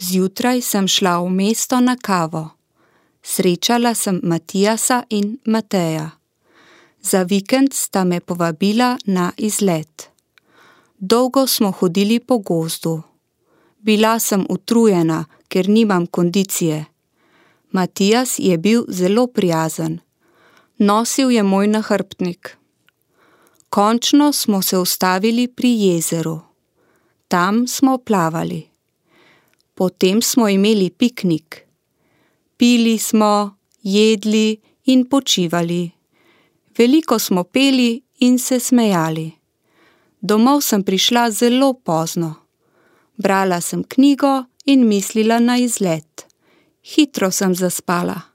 Zjutraj sem šla v mesto na kavo. Srečala sem Matijasa in Mateja. Za vikend sta me povabila na izlet. Dolgo smo hodili po gozdu. Bila sem utrujena, ker nimam kondicije. Matijas je bil zelo prijazen. Nosil je moj nahrbtnik. Končno smo se ustavili pri jezeru. Tam smo plavali. Potem smo imeli piknik. Pili smo, jedli in počivali. Veliko smo peli in se smejali. Domov sem prišla zelo pozno. Brala sem knjigo in mislila na izlet. Hitro sem zaspala.